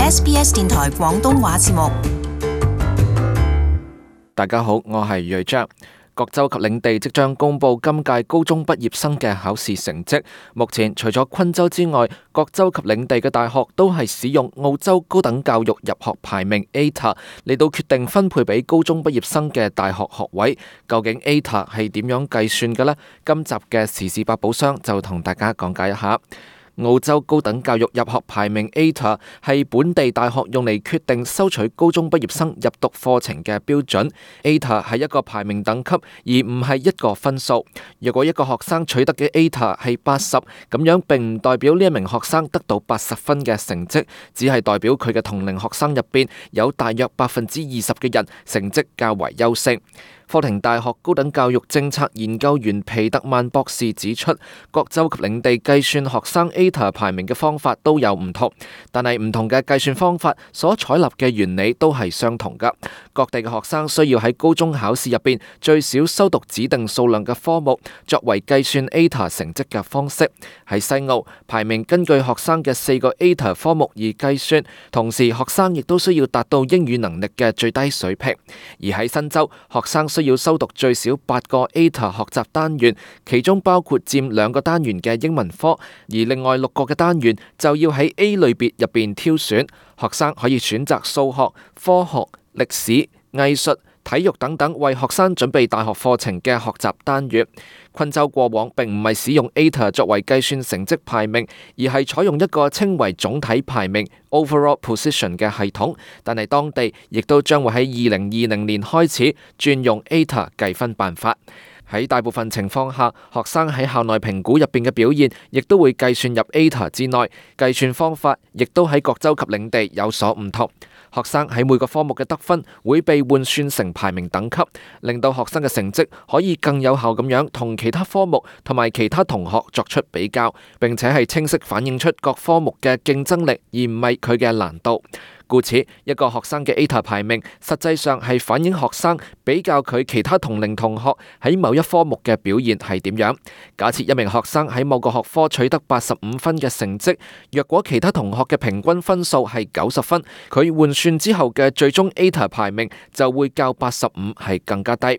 SBS 電台廣東話節目。大家好，我係睿章。各州及領地即將公布今屆高中畢業生嘅考試成績。目前除咗昆州之外，各州及領地嘅大學都係使用澳洲高等教育入學排名 ATAR 嚟到決定分配俾高中畢業生嘅大學學位。究竟 ATAR 係點樣計算嘅呢？今集嘅時事百寶箱就同大家講解一下。澳洲高等教育入學排名 ATAR 係本地大學用嚟決定收取高中畢業生入讀課程嘅標準。ATAR 係一個排名等級，而唔係一個分數。若果一個學生取得嘅 ATAR 係80，咁樣並唔代表呢一名學生得到80分嘅成績，只係代表佢嘅同齡學生入邊有大約20%嘅人成績較為優勝。科廷大學高等教育政策研究員皮特曼博士指出，各州及領地計算學生 ATAR 排名嘅方法都有唔同，但係唔同嘅計算方法所採納嘅原理都係相同㗎。各地嘅學生需要喺高中考試入邊最少修讀指定數量嘅科目，作為計算 ATAR 成績嘅方式。喺西澳，排名根據學生嘅4個 ATAR 科目而計算，同時學生亦都需要達到英語能力嘅最低水平。而喺新州，學生需要修讀最少8個 ATAR 學習單元，其中包括佔2個單元嘅英文科，而另外6個嘅單元就要喺 A 類別入邊挑選。學生可以選擇數學、科學、歷史、藝術、體育等等為學生準備大學課程嘅學習單元。昆州過往並唔係使用 ATAR 作為計算成績排名，而係採用一個稱為總體排名 Overall Position 嘅系統，但係當地亦都將會喺2020年開始轉用 ATAR 計分辦法。喺大部分情況下，學生喺校內評估入邊嘅表現，亦都會計算入 ATAR 之內。計算方法亦都喺各州及領地有所唔同。學生喺每個科目嘅得分會被換算成排名等級，令到學生嘅成績可以更有效咁樣同其他科目同埋其他同學作出比較，並且係清晰反映出各科目嘅競爭力，而唔係佢嘅難度。故此，一個學生嘅 ATAR 排名實際上係反映學生比較佢其他同齡同學喺某一科目嘅表現係點樣。假設一名學生喺某個學科取得85分嘅成績，若果其他同學嘅平均分數係90分，佢換算之後嘅最終 ATAR 排名就會較85係更加低。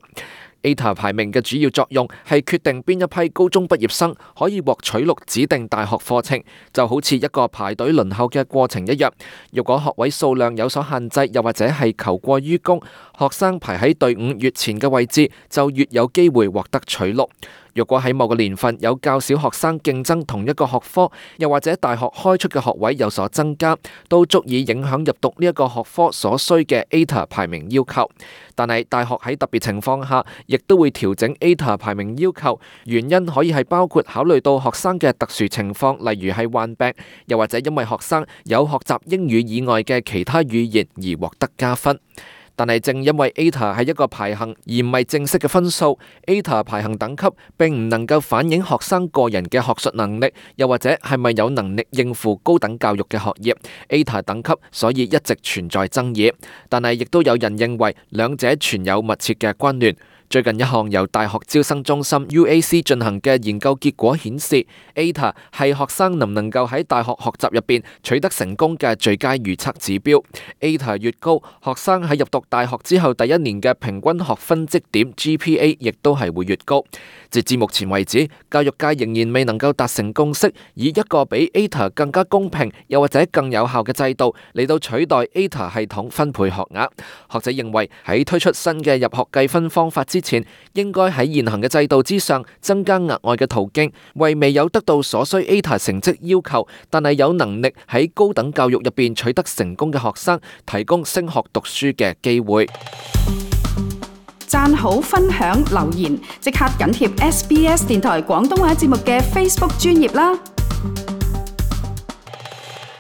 ATAR 排名嘅主要作用係決定邊一批高中畢業生可以獲取錄指定大學課程，就好似一個排隊輪候嘅過程一樣。如果學位數量有所限制，又或者係求過於供，學生排喺隊伍越前嘅位置，就越有機會獲得取錄。若果喺某個年份有較少學生競爭同一個學科，又或者大學開出嘅學位有所增加，都足以影響入讀呢一個學科所需嘅 ATAR 排名要求。但係大學喺特別情況下，亦都會調整 ATAR 排名要求，原因可以係包括考慮到學生嘅特殊情況，例如係患病，又或者因為學生有學習英語以外嘅其他語言而獲得加分。但係正因為 ATAR 係一個排行而唔係正式嘅分數， ATAR 排行等級並唔能夠反映學生個人嘅學術能力，又或者係咪有能力應付高等教育嘅學業。ATAR 等級所以一直存在爭議，但係亦都有人認為兩者存有密切嘅關聯。最近一項由大學招生中心 UAC 進行嘅研究結果顯示， ATAR 係學生能唔能夠喺大學學習入邊取得成功嘅最佳預測指標。ATAR 越高，學生喺入讀大學之後第一年嘅平均學分績點 GPA 亦都係會越高。截至目前為止，教育界仍然未能夠達成共識，以一個比 ATAR 更加公平又或者更有效嘅制度嚟到取代 ATAR 系統分配學額。學者認為喺推出新嘅入學計分方法之前，應該喺現行嘅制度之上增加額外嘅途徑，為未有得到所需 ATAR 成績要求，但係有能力喺高等教育入邊取得成功嘅學生提供升學讀書嘅機會。讚好、分享、留言，即刻緊貼SBS 電台廣東話節目嘅 Facebook 專頁啦！